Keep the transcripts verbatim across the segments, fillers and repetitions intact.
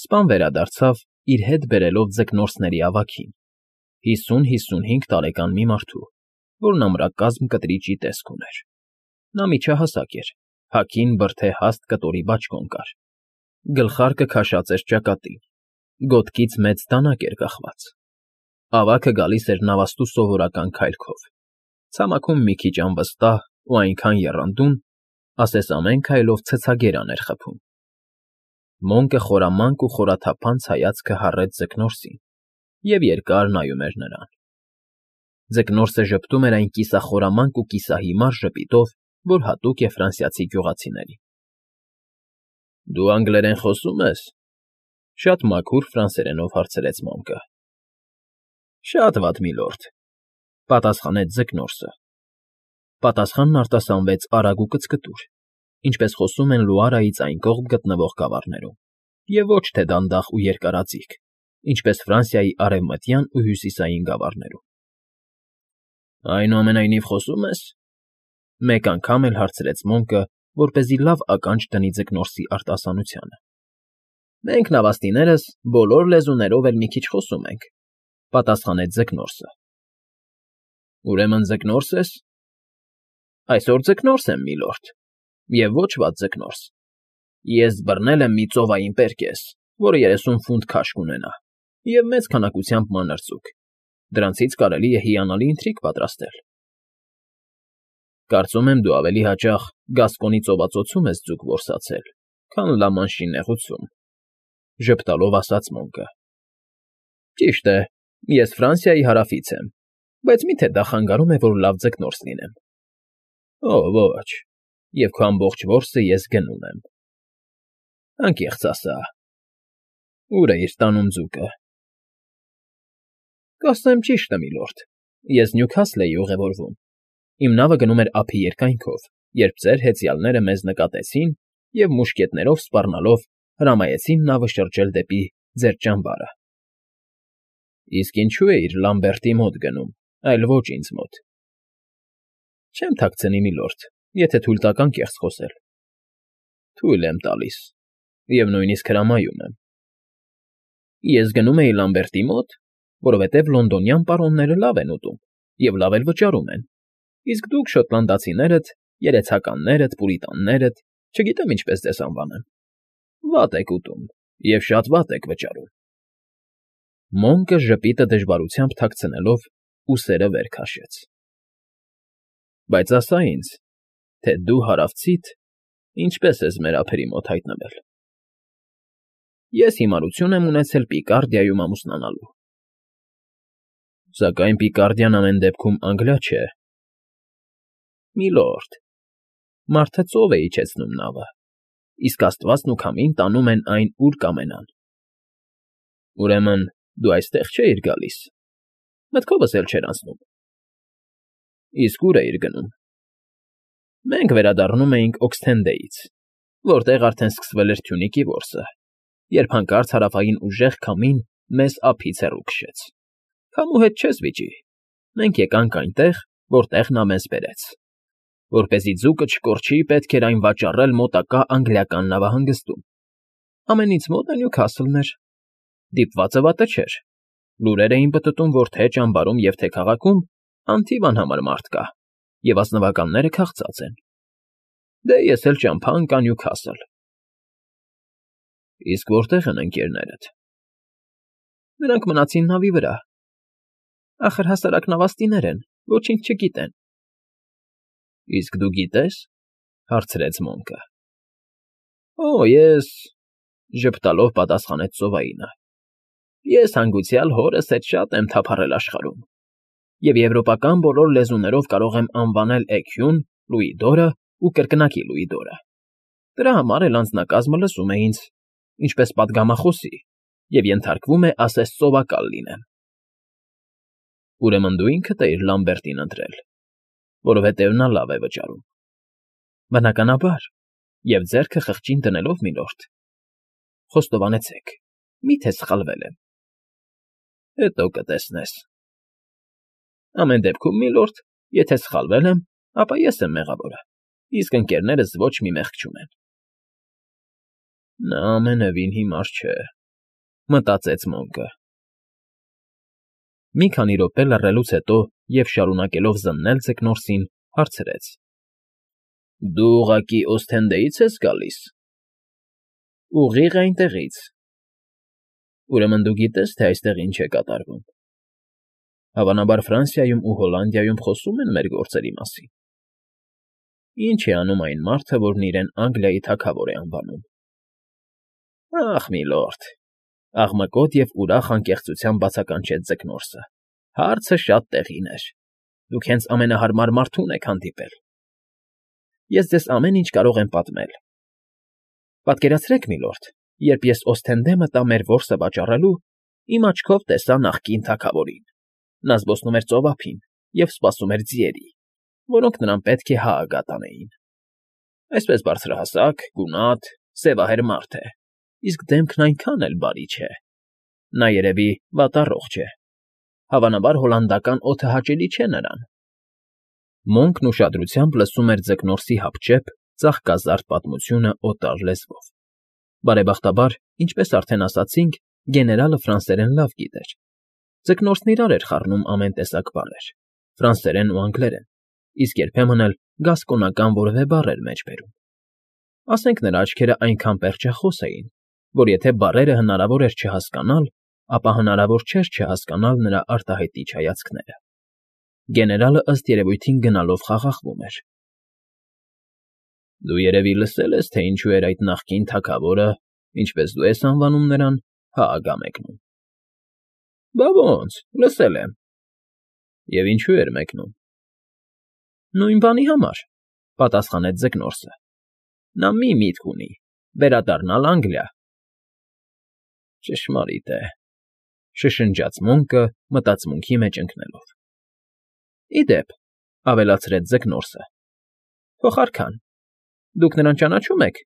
Սպան վերադարձավ, իր հետ բերելով ձկնորսների ավագին, հիսուն֊հիսունհինգ տարեկան մի մարդու, որն ամրակազմ կտրիճի տեսք ուներ. նա միջահասակ էր, հագին բրդե հաստ կտորի բաճկոն կար, գլխարկը քաշած էր ճակատին, գոտքից մեծ դանակ էր կախված, ավագը գալիս էր նավաստու սովորական քայլքով, ցամաքում մի քիչ անվստահ ու այնքան եռանդուն, ասես ամեն քայլով ցցագերան էր խփում։ Մոնկը խորամանկ ու խորաթափանց հայացքը հառեց ձկնորսին և երկար նայում էր նրան։ Ձկնորսը ժպտում էր այն կիսախորամանկ ու կիսահիմար ժպիտով, որ հատուկ է ֆրանսիացի գյուղացիներին։ ֊ Դու անգլերեն խոսո՞ւմ ես,֊ շատ մաքուր ֆրանսերենով հարցրեց Մոնկը։ ֊ Շատ վատ, միլորդ,֊ պատասխանեց ձկնորսը։ Պատասխանն արտասանվեց արագ ու կծկտուր, ինչպես խոսում են Լուարայից այն կողմ գտնվող գավառներում, և ոչ թե դանդաղ ու երկարաձիգ, ինչպես Ֆրանսիայի արևմտյան ու հյուսիսային գավառներում։ ֊ Այնուամենայնիվ խոսո՞ւմ ես,֊ մեկ անգամ էլ հարցրեց Մոնկը, որպեսզի լավ ականջ դնի ձկնորսի արտասանությանը։ ֊ Մենք նավաստիներս բոլոր լեզուներով էլ մի քիչ խոսում ենք,֊ պատասխանեց ձկնորսը։ ֊ Ուրեմն ձկնորս ես։ ֊ Այսօր ձկնորս եմ, միլորդ, և ոչ վատ ձկնորս։ Ես բռնել եմ մի ծովային պերկես, որը երեսուն ֆունտ քաշ կունենա, և մեծ քանակությամբ մանր ձուկ, դրանցից կարելի է հիանալի ընթրիք պատրաստել։ ֊ Կարծում եմ, դու ավելի հաճախ Գասկոնի ծովածոցում ես ձուկ որսացել, քան Լա֊Մանշի նեղուցում,֊ ժպտալով ասաց Մոնկը։ ֊ Ճիշտ է, ես Ֆրանսիայի հարավից եմ, բայց մի՞թե դա խանգարում է, որ լավ ձկնորս լինեմ։ ֊ Օ, ոչ, և քո ամբողջ որսը ես գնում եմ։ ֊ Անկեղծ ասա, ո՞ւր էիր տանում ձուկը։ ֊ Կասեմ ճիշտը, միլորդ, ես Նյուքասլ էի ուղևորվում, իմ նավը գնում էր ափի երկայնքով, երբ ձեր հեծյալները մեզ նկատեցին և մուշկետներով սպառնալով հրամայեցին նավը շրջել դեպի ձեր ճամբարը։ ֊ Իսկ ինչո՞ւ էիր Լամբերտի մոտ գնում, այլ ոչ ինձ մոտ։ ֊ Չեմ թաքցնի, միլորդ, եթե թույլ տաք անկեղծ խոսել։ ֊ Թույլ եմ տալիս, և նույնիսկ հրամայում եմ։ ֊ Ես գնում էի Լամբերտի մոտ, որովհետև լոնդոնյան պարոնները լավ են ուտում և լավ էլ վճարում են, իսկ դուք շոտլանդացիներդ, երեցականներդ, պուրիտաններդ, չգիտեմ ինչպես ձեզ անվանեմ, վատ եք ուտում և շատ վատ եք վճարում։ Մոնկը ժպիտը դժվարությամբ թաքցնելով ուսերը վեր քաշեց։ ֊ Բայց ասա ինձ, թե դու հարավցիդ ինչպե՞ս ես մեր ափերի մոտ հայտնվել։ ֊ Ես հիմարություն եմ ունեցել Պիկարդիայում ամուսնանալու։ ֊ Սակայն Պիկարդիան ամեն դեպքում Անգլիա չէ։ ֊ Միլորդ, մարդը ծով է իջեցնում նավը, իսկ աստվածն ու քամին տանում են այն, ուր կամենան։ ֊ Ուրեմն դու այստեղ չէիր գալիս, մտքովս էլ չէր անցնում։ ֊ Իսկ ո՞ւր էիր գնում։ ֊ Մենք վերադառնում էինք Օքսթենդեից, որտեղ արդեն սկսվել էր Թյունիկի որսը, երբ հանկարծ հարավային ուժեղ քամին մեզ ափից հեռու քշեց։ Քամու հետ չես վիճի, մենք եկանք այնտեղ, որտեղ նա մեզ բերեց։ Որպեսզի ձուկը չկորչի, պետք էր այն վաճառել մոտակա անգլիական նավահանգստում։ Ամենից մոտը Նյուքասլն էր։ Դիպվածը վատը չէր։ Լուրեր էին պտտում, որ թե ճամբարում և թե քաղաքում անթիվ անհամար մարդ կա, և ազնվականները քաղցած են։ Դե ես էլ ճամփա ընկա Նյուքասլ։ ֊ Իսկ որտե՞ղ են ընկերներդ։ ֊ Նրանք մնացին նավի վրա։ Ախր հասարակ նավաստիներ են, ոչինչ չգիտեն։ ֊ Իսկ դու գիտե՞ս,֊ հարցրեց Մոնկը։ ֊ Օ, ես,֊ ժպտալով պատասխանեց ծովայինը,֊ ես հանգուցյալ հորս հետ շատ եմ թափառել աշխարհում, և եվրոպական բոլոր լեզուներով կարող եմ անվանել էգյուն, լուիդորը ու կրկնակի լուիդորը։ Դրա համար էլ անձնակազմը լսում է ինձ, ինչպես պատգամախոսի, և ենթարկվում է ասես ծովակալ լինեմ։ ֊ Ուրեմն դու ինքդ էիր Լամբերտին ընտրել, որովհետև նա լավ է վճարում։ ֊ Բնականաբար, և ձեռքը խղճին դնելով, միլորդ։ ֊ Խոստովանեցեք, մի՞թե սխալվել եմ։ ֊ Հետո կտեսնես։ ֊ Ամեն դեպքում, միլորդ, եթե սխալվել եմ, ապա ես եմ մեղավորը, իսկ ընկերներս ոչ մի մեղք չունեն։ ֊ Նա ամենևին հիմար չէ։ մտածեց Մոնկը։ Մի քանի րոպե լռելուց հետո և շարունակելով զննել ձկնորսին, հարցրեց. ֊ Դու ուղղակի Օսթենդեի՞ց ես գալիս։ ֊ Ուղիղ այնտեղից։ ֊ Ուրեմն դու գիտես, թե այստեղ ինչ է կատարվում։ ֊ Հավանաբար Ֆրանսիայում ու Հոլանդիայում խոսում են մեր գործերի մասին։ ֊ Ինչ է անում այն մարդը, որն իրեն Անգլիայի թագավոր է անվանում։ ֊ Ախ, միլորդ,֊ աղմկոտ և ուրախ անկեղծությամբ բացականչեց ձկնորսը,֊ հարցը շատ տեղին էր։ Դուք հենց ամենահարմար մարդուն եք հանդիպել։ Ես ձեզ ամեն ինչ կարող եմ պատմել։ Պատկերացրեք, միլորդ, երբ ես Օսթենդե մտա մեր որսը վաճառելու, իմ աչքով տեսա նախկին թագավորին։ Նա զբոսնում էր ծովափին և սպասում էր ձիերի, որոնք նրան պետք է հայագա տանեին։ Այսպես բարձրահասակ, գունատ, սևահեր մարդ է, իսկ դեմքն այնքան էլ բարի չէ։ Նա, երևի, վատառողջ է։ Հավանաբար հոլանդական օդը հաճելի չէ նրան։ Մոնկն ուշադրությամբ լսում էր ձկնորսի հապճեպ, ծաղկազարդ պատմությունը օտար լեզվով։ Բարեբախտաբար, ինչպես արդեն ասացինք, գեներալը ֆրանսերեն լավ գիտեր։ Ձկնորսն իրար էր խառնում ամեն տեսակ բառեր՝ ֆրանսերեն ու անգլերեն, իսկ երբեմն էլ գասկոնական որևէ բառ էր մեջ բերում։ Ասենք նրա աչքերը այնքան պերճախոս էին, որ եթե բառերը հնարավոր էր չհասկանալ, ապա հնարավոր չէր չհասկանալ նրա արտահայտիչ հայացքները։ Գեներալը ըստ երևույթին գնալով խաղաղվում էր։ ֊ Դու երևի լսել ես, թե ինչու էր այդ նախկին թագավորը, ինչպես դու ես անվանում նրան, հայագա մեկնում։ ֊ Բա ոնց, լսել եմ։ ֊ Եվ ինչու էր մեկնում։ ֊ Նույն բանի համար,֊ պատասխանեց ձկնորսը։ Նա մի միտք ունի՝ վերադառնալ Անգլիա։ ֊ Ճշմարիտ է,֊ շշնջաց Մոնկը, մտածմունքի մեջ ընկնելով։ ֊ Ի դեպ,֊ ավելացրեց ձկնորսը,֊ փոխարքան, դուք նրան ճանաչո՞ւմ եք,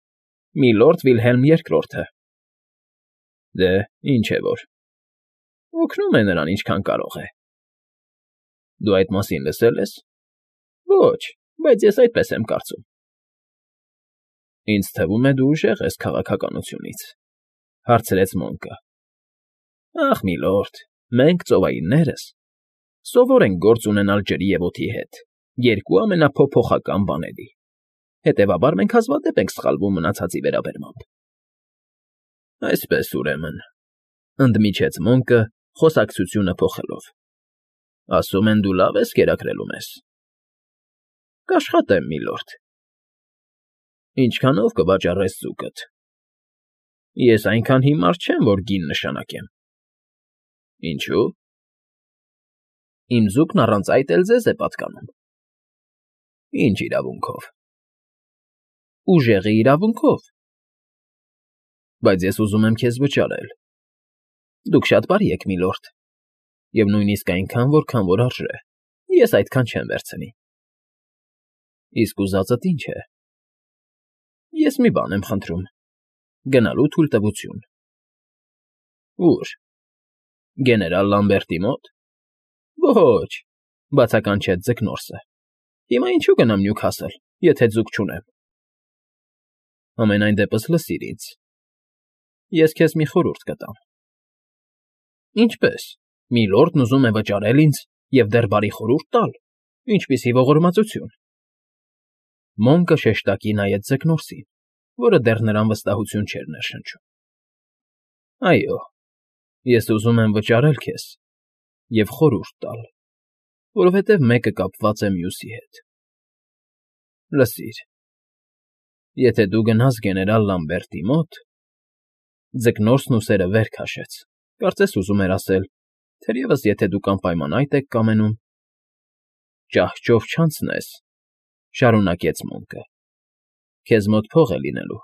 միլորդ Վիլհելմ Երկրորդը։ ֊ Դե, ինչ է որ։ ֊ Օգնում է նրան ինչքան կարող է։ ֊ Դու այդ մասին լսել ես։ ֊ Ոչ, բայց ես այդպես եմ կարծում։ ֊ Ինձ թվում է, դու ուժեղ ես քաղաքականությունից,֊ հարցրեց Մոնկը։ ֊ Ախ, միլորդ, մենք, ծովայիններս, սովոր ենք գործ ունենալ ջրի և օդի հետ, երկու ամենափոփոխական բաների, հետևաբար մենք հազվադեպ ենք սխալվում մնացածի վերաբերմամբ։ ֊ Այսպես, ուրեմն,֊ ընդմիջեց Մոնկը, խոսակցությունը փոխելով,֊ ասում են, դու լավ ես կերակրելու մեզ։ ֊ Կաշխատեմ, միլորդ։ ֊ Ինչքանո՞վ կվաճառես ձուկդ։ ֊ Ես այնքան հիմար չեմ, որ գին նշանակեմ։ ֊ Ինչո՞ւ։ ֊ Իմ ձուկն առանց այդ էլ ձեզ է պատկանում։ ֊ Ինչ իրավունքով։ ֊ Ուժեղի իրավունքով։ ֊ Բայց ես ուզում եմ քեզ վճարել։ ֊ Դուք շատ բարի եք, միլորդ, և նույնիսկ այնքան, որքան որ արժե, ես այդքան չեմ վերցնի։ ֊ Իսկ ուզածդ ի՞նչ է։ ֊ Ես մի բան եմ խնդրում՝ գնալու թույլտվություն։ ֊ Ո՞ւր։ ֊ Գեներալ Լամբերտի մոտ։ ֊ Ոչ,֊ բացականչեց ձկնորսը,֊ հիմա ինչու գնամ Նյուքասլ, եթե ձուկ չունեմ։ ֊ Համենայն դեպս լսիր ինձ. ես քեզ մի խորհուրդ կտամ։ ֊ Ինչպե՞ս, միլորդն ուզում է վճարել ինձ և դեռ բարի խորհուրդ տալ, ինչպիսի ողորմածություն։ Մոնկը շեշտակի նայեց ձկնորսին, որը դեռ նրան վստահություն չէր ներշնչում։ ֊ Այո, ես ուզում եմ վճարել քեզ և խորհուրդ տալ, որովհետև մեկը կապված է մյուսի հետ։ Լսիր, եթե դու գնաս գեներալ Լամբերտի մոտ…֊ Ձկնորսն ուսերը վեր քաշեց, կարծես ուզում էր ասել. թերևս եթե դուք անպայման այդ եք կամենում…֊ Ճահճով չանցնես,֊ շարունակեց Մոնկը,֊ քեզ մոտ փող է լինելու,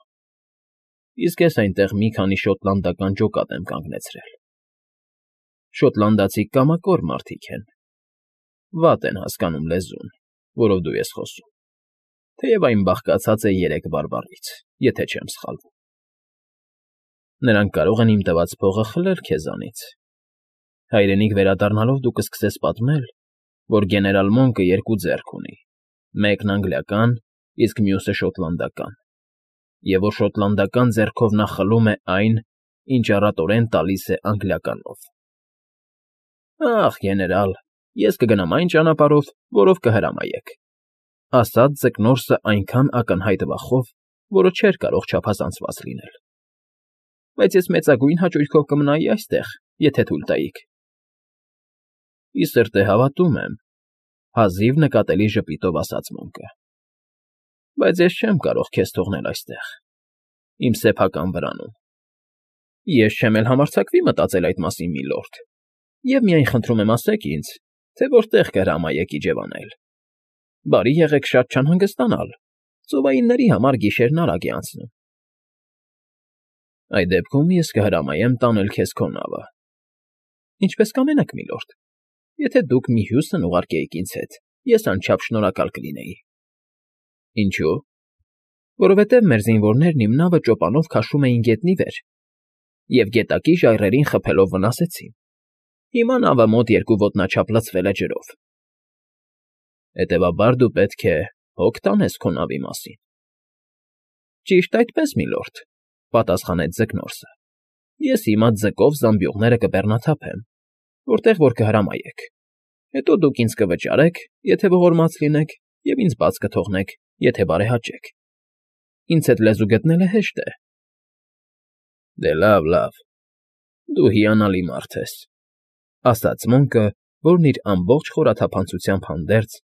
իսկ ես այնտեղ մի քանի շոտլանդական ջոկատ եմ կանգնեցրել։ Շոտլանդացիք կամակոր մարդիկ են, վատ են հասկանում լեզուն, որով դու ես խոսում, թեև այն բաղկացած է երեք բարբառից, եթե չեմ սխալվում։ Նրանք կարող են իմ տված փողը խլել քեզանից։ Հայրենիք վերադառնալով դու կսկսես պատմել, որ գեներալ Մոնկը երկու ձեռք ունի, մեկն անգլիական, իսկ մյուսը շոտլանդական, և որ շոտլանդական ձեռքով նա խլում է այն, ինչ առատորեն տալիս է անգլիականով։ Ախ, գեներալ, ես կգնամ այն ճանապարհով, որով կհրամայեք, ասաց ձկնորսը այնքան ակնհայտ վախով, որը չէր կարող չափազանցված լինել։ Բայց ես մեծագույն հաճույքով կմնայի այստեղ, եթե թույլ տայիք։ Ի սրտե հավատում եմ, հազիվ նկատելի ժպիտով ասաց Մոնկը։ Բայց ես չեմ կարող քեզ թողնել այստեղ, իմ սեփական վրանում։ Ես չեմ էլ համարձակվի մտածել այդ մասին, միլորդ, և միայն խնդրում եմ ասեք ինձ, թե որտեղ կհրամայեք իջևանել։ Բարի եղեք շատ չանհանգստանալ, ծովայինների համար գիշերն արագ է անցնում։ Այդ դեպքում ես կհրամայեմ տանել քեզ քո նավը։ Ինչպես կամենաք, միլորդ, եթե դուք մի Հյուստոն ուղարկեիք ինձ հետ, ես անչափ շնորհակալ կլինեի։ Ինչո՞ւ։ Որովհետև մեր զինվորներն իմ նավը ճոպանով քաշում էին գետնի վեր և գետակի ժայռերին խփելով վնասեցին։ Հիմա նավը մոտ երկու ոտնաչափ լցվել է ջրով։ Հետևաբար դու պետք է հոգ տանես քո նավի մասին։ Ճիշտ այդպես, միլորդ, պատասխանեց ձկնորսը։ Ես հիմա ձկով զամբյուղները կբեռնաթափեմ, որտեղ որ կհրամայեք։ Հետո դուք ինձ կվճարեք, եթե ողորմած լինեք, և ինձ բաց կթողնեք, եթե բարեհաճեք։ Ինձ հետ լեզու գտնելը հեշտ է։ Դե լավ, լավ, դու հիանալի մարդ ես, ասաց Մոնկը, որն իր ամբողջ խորաթափանցությամբ հանդերձ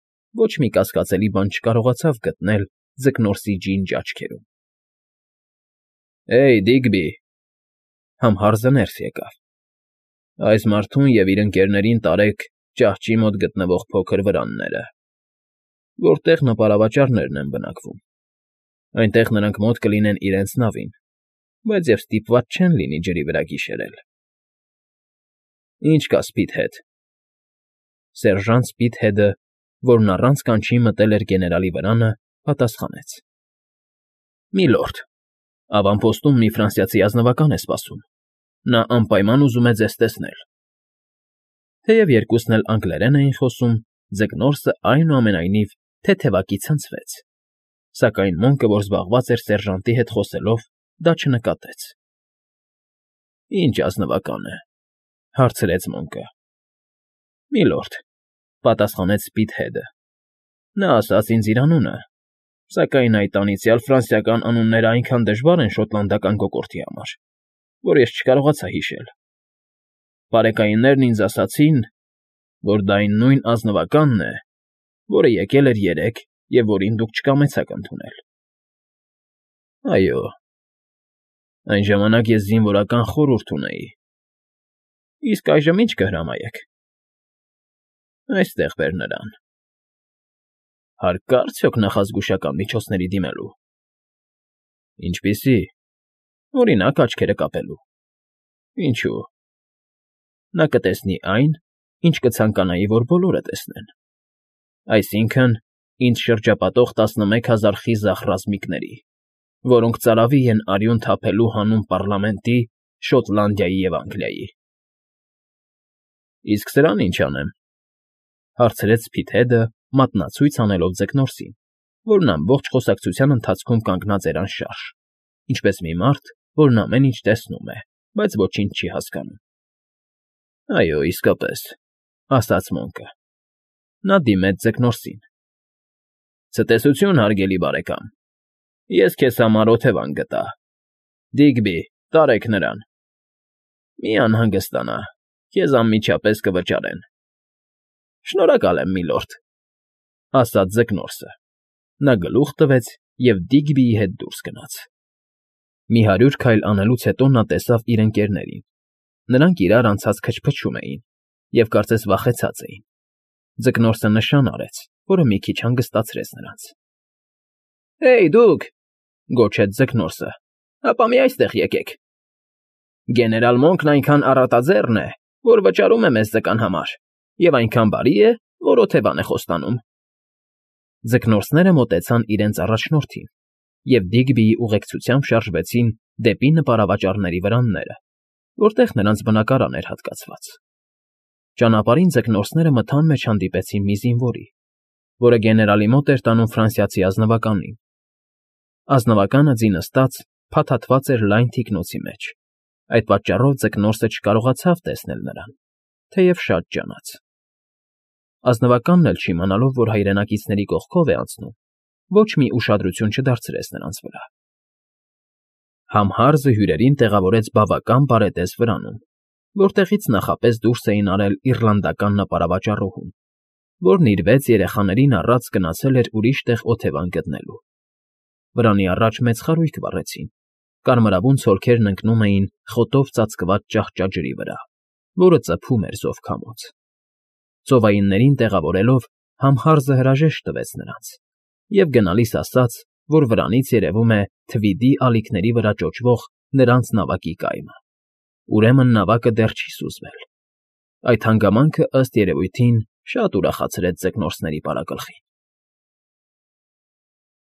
ոչ մի կասկածելի բան չկարողացավ գտնել ձկնորսի ջինջ աչքերում։ Հեյ, Դիգբի, համհարզը ներս եկավ։ Այս մարդուն և իր ընկերներին տարեք ճահճի մոտ գտնվող փոքր վրանները, որտեղ նպարավաճառներն են բնակվում։ Այնտեղ նրանք մոտ կլինեն իրենց նավին, բայց և ստիպված չեն լինի ջրի վրա գիշերել։ Ինչ կա Սպիթհեդ։ Սերժանտ Սպիթհեդը, որն առանց կանչի մտել էր գեներալի վրանը, պատասխանեց. Միլորդ, ավանպոստում մի ֆրանսիացի ազնվական է սպասում։ Նա անպայման ուզում է ձեզ տեսնել։ Թեև երկուսն էլ անգլերեն էին խոսում, ձկնորսը այնուամենայնիվ թեթևակի ցնցվեց, սակայն Մոնկը, որ զբաղված էր սերժանտի հետ խոսելով, դա չնկատեց։ Ինչ ազնվական է, հարցրեց Մոնկը։ Միլորդ, պատասխանեց Սպիթհեդը։ Նա ասաց ինձ իր անունը, սակայն այդ անիծյալ ֆրանսիական անունները այնքան դժվար են շոտլանդական կոկորդի համար, որ ես չկարողացա հիշել։ Բարեկայիններն ինձ ասացին, որ դա այն նույն ազնվականն է, որը եկել էր երեկ և որին դուք չկամեցաք ընդունել։ Այո, այն ժամանակ ես զինվորական խորհուրդ ունեի։ Իսկ այժմ ինչ կհրամայեք։ Այստեղ բեր նրան։ Հարկ կա՞ արդյոք նախազգուշական միջոցների դիմելու։ Ինչպիսի։ Օրինակ, աչքերը կապելու։ Ինչո՞ւ։ Նա կտեսնի այն, ինչ կցանկանայի, որ բոլորը տեսնեն։ Այսինքն, ինձ շրջապատող տասնմեկ հազար խիզախ ռազմիկների, որոնք ծարավի են արյուն թափելու հանուն պառլամենտի, Շոտլանդիայի և Անգլիայի։ Իսկ սրան ինչ անեմ, հարցրեց Սպիթհեդը, մատնացույց անելով ձկնորսին, որն ամբողջ խոսակցության ընթացքում կանգնած էր անշարժ, ինչպես մի մարդ, որն ամեն ինչ տեսնում է, բայց ոչինչ չի հասկանում։ Այո, իսկապես, ասաց Մոնկը։ Նա դիմեց ձկնորսին։ Ցտեսություն, հարգելի բարեկամ, ես քեզ համար օթևան գտա։ Դիգբի, տարեք նրան։ Մի անհանգստանա, քեզ անմիջապես կվճարեն։ Շնորհակալ եմ, միլորդ, ասաց ձկնորսը։ Նա գլուխ տվեց և Դիգբիի հետ դուրս գնաց։ Մի հարյուր քայլ անելուց հետո նա տեսավ իր ընկերներին։ Նրանք իրար անցած քչփչում էին և կարծես վախեցած էին։ Ձկնորսը նշան արեց, որը մի քիչ հանգստացրեց նրանց։ Հեյ, դուք, գոչեց ձկնորսը, ապա մի այստեղ եկեք։ Գեներալ Մոնկն այնքան առատաձեռն է, որ վճարում է մեզ ձկան համար, և այնքան բարի է, որ օթևան է խոստանում։ Ձկնորսները մոտեցան իրենց առաջնորդին և Դիգբիի ուղեկցությամբ շարժվեցին դեպի նպարավաճառների վրանները, որտեղ նրանց բնակարան էր հատկացված։ Ճանապարհին ձկնորսները մթան մեջ հանդիպեցին մի զինվորի, որը գեներալի մոտ էր տանում ֆրանսիացի ազնվականին։ Ազնվականը ձի նստած փաթաթված էր լայն թիկնոցի մեջ, Այդ պատճառով ձկնորսը չկարողացավ տեսնել նրան, թեև շատ ջանաց. ազնվականն էլ չիմանալով, որ հայրենակիցների կողքով է անցնում, ոչ մի ուշադրություն չդարձրեց նրանց վրա։ Համհարզը հյուրերին տեղավորեց բավական բարետես վրանում, որտեղից նախապես դուրս էին արել իռլանդական նապարավաճառուհուն, որն իր վեց երեխաներին առած գնացել էր ուրիշ տեղ օթևան գտնելու։ Վրանի առաջ մեծ խարույկ վառեցին, կարմրավուն ցոլքերն ընկնում էին խոտով ծածկված ճահճա ջրի վրա, որը ծփում էր զովքամոց։ Ծովայիններին տեղավորելով Համհարզը հրաժեշտ տվեց նրանց և գնալիս ասաց, որ վրանից երևում է թվիդի ալիքների վրա ճոճվող նրանց նավակի կայմը, ուրեմն նավակը դեռ չի սուզվել։ Այդ հանգամանքը, ըստ երևույթին, շատ ուրախացրեց ձկնորսների պարագլխին։